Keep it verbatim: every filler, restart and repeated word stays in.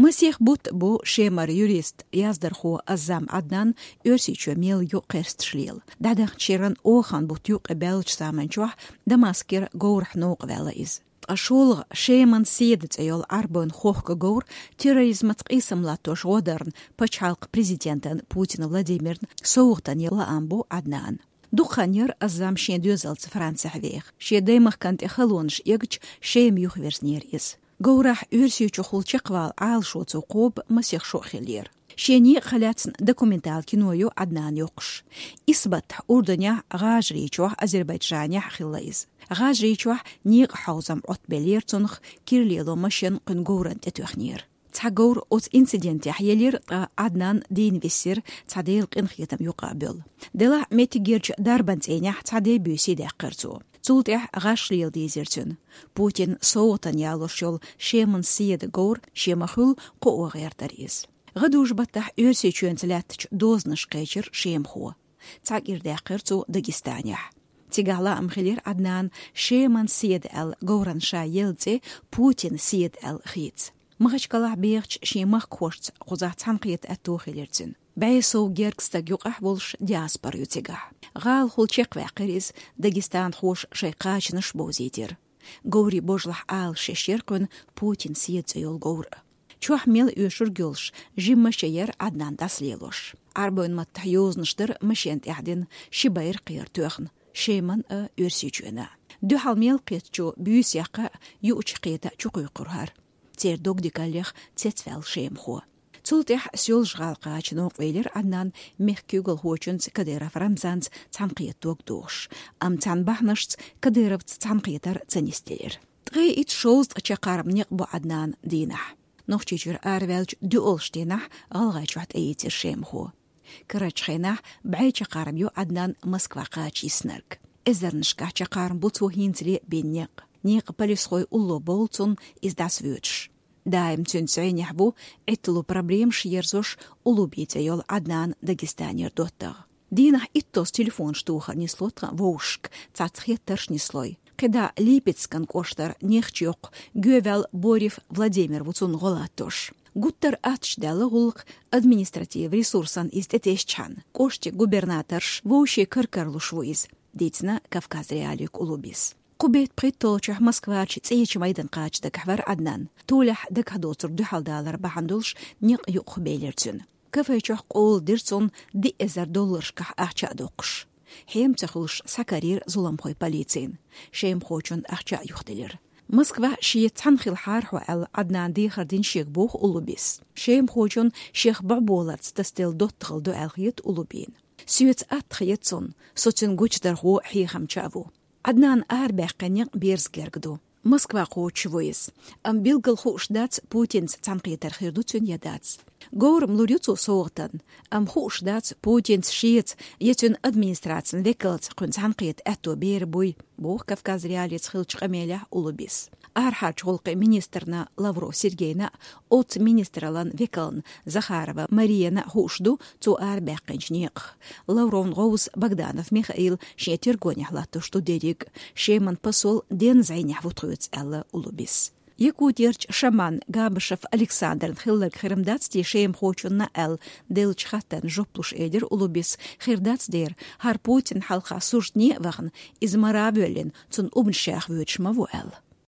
Масех бутт бу Шемара юрист, яздархо Аззам Ӏаднан Оьрсийчоь мел ю кхерсташ лела. ДӀадаханчу шеран оханан бутт юккъе баьллачу заманчохь Дамаскера говрахь новкъа ваьлла иза. Ткъа шолгӀа Шеман седа цӀе йолу Ӏарбойн хохка говр терроризмаца къийсам латтош гӀо дарна пачхьалкхан президентан Путин Владимирна совгӀатана яла лаам бу Ӏаднана. Дукха хан яра Аззам шен доьзалца Францехь веха. Шен даймахкана тӀе халонаш эгча, Шема юхавирзинера иза. Говрахь Оьрсийчухула чекхвала Ӏалашо цо кхоба масех шо а хиллера. Шен некъах лаьцна документал кино ю Ӏаднана йоккхуш. Исс баттахь Урданехь, ГӀажарийчохь, Азербайджанехь хилла иза. ГӀажарийчохь некъан хьовзам Ӏоттабеллера цунах, кира лело машен кхуьнан говрана тӀетоьхнера. Цхьа говр оцу инцидентехь елира, ткъа Ӏаднан дийна висира, цхьа Делан къинхетам юкъа а бевлла. Делахь меттигерчу дарбан цӀийнехь цхьа де-буьйса даьккхира цо. Цул тӀаьхьа гӀаш лела дийзира цуьнан. Путинна совгӀатана ялош йолу Шеман седа говр шен ма-хуьллу кхоо гӀертара иза. ГӀадужу баттахь Оьрсийчоьнца лаьттачу дозанашка кхечира шемахо. Цхьа кӀира даьккхира цо Дагестанехь. Цигахь лаам хилира Ӏаднана Шеман седа аьлла говрана ша елла цӀе Путин седа аьлла хийца. Махачкалахь бехачу шен махкахошца кхузахь цхьаьнакхета аьтто хилира цуьнан. БӀе сов гергга стаг юкъахь волуш диаспора ю цигахь. ГӀалахула чекхваьккхира иза, дагестанхоша шайн кхачанаш бовзийтира. Говрийн божалахь Ӏалашъеш яра кхуьнан Путин седа цӀе йолу говр а. Чохь мел оьшург йолуш жима машен яра Ӏаднан дӀасалелош. Ӏарбойн маттахь йозанаш дара машен тӀехь дина, ши байракх яра тоьхна, Шеман а, Оьрсийчоьнан а. Дуьхьал мел кхеттачо буьйса яккха а, юучу кхета а чукхуьйкхура хӀара. Церан дог дикаллех цецваьлла шемахо. Цул тӀаьхьа Соьлжа-ГӀала кхача новкъа велира Ӏаднан мехкан куьйгалхочуьнца Кадыров Рамзанца цхьаьнакхета дог дохуш, амма цхьана бахьанашца Кадыровца цхьаьнакхетар ца нисделира. Ткъе итт-шовзткъа чаккхарма некъ бу Ӏаднана дийнахь. Нохчийчуьра араваьллачу доьалгӀачу дийнахь ГӀалгӀайчохь тӀеийцира шемахо. Карарчу хенахь бӀе чаккхарма ю Ӏаднан Москва кхача йиснарг. Эзарнашкахь чаккхарма бу цо хӀинцале а бина некъ. Некъан полисхой улло бовлу цунна иза дӀасавоьдуш. Даим цуьнца зӀенехь ву Ӏиттало проблемаш ерзош Улуби цӀе йолу Ӏаднанан Дагестанера доттагӀа. Дийнахь иттазза телефонаш тохар нисло тхан вовшашка, цхьацца хеттарш нислой. КхидӀа Липецкан кӀоштара Нехчийоккху гӀеваьлла Борев Владимир ву цунна гӀо латтош. Гуттар а аттачу даьлла гӀуллакх административан ресурсан иза тӀетесчхьана. КӀоштан губернаторш вовшийн каркарлуш ву иза, дийцина Кавказ.Реалиига Улубис. Кху беттан пхийтталгӀачохь Москварчу ЦӀечу майдан кхача дагахь вара Ӏаднан. Толехь дагахь доцург дуьхьалдалар бахьана долуш некъ юкъахбелира цуьнан. Кафе чохь къола дира цунна диъ эзар долларшкахь ахча а доккхуш. Хьем ца хуьлуш схьакарийра зуламхой полицина. Шемахочунна ахча а юхаделира. Москва шеца цхьаьна хилахьара хьо аьлла, Ӏаднана дехар дина шега боху Улубис. Шемахочунна шех бӀоболарца тасаделла доттагӀалла ду аьлла хета Улубина. Соьца атта хета цунна, со цуьнан гучудархо, хьехамча а ву. Ӏаднана арабаьккхина некъ берза герга ду. Москва кхочуш ву иза. Амма билггал хууш дац, Путинца цхьаьнакхетар хир ду цуьнан я дац. Говр-м лур ю цо совгӀатана, амма хууш дац, Путинца шеца я цуьнан администрацин векалца кхуьнан цхьаьнакхета аьтто бер а буй, боху Кавказ.Реалиица хиллачу къамелехь Улубис. Арахьарчу гӀуллакхийн министрна Лавров Сергейна а, оццу министраллан векална Захарова Марияна а хууш ду цо арабаьккхинчу некъах. Лавровн гӀовс Богданов Михаил шен тергонехь латтош ду дерриг а, Шеман посол денна зӀенехь ву тхоьца, аьлла Улубис. Якутерчу шаманна Габышев Александрна хилларг хир-м дац те шемахочунна аьлла деллачу хаттарна жоп луш элира Улубис, хир дац дера, хӀара Путинна хьалха суртане а вахана, иза мара а воьллина, цунна убанаш яха воьдуш ма ву аьлла.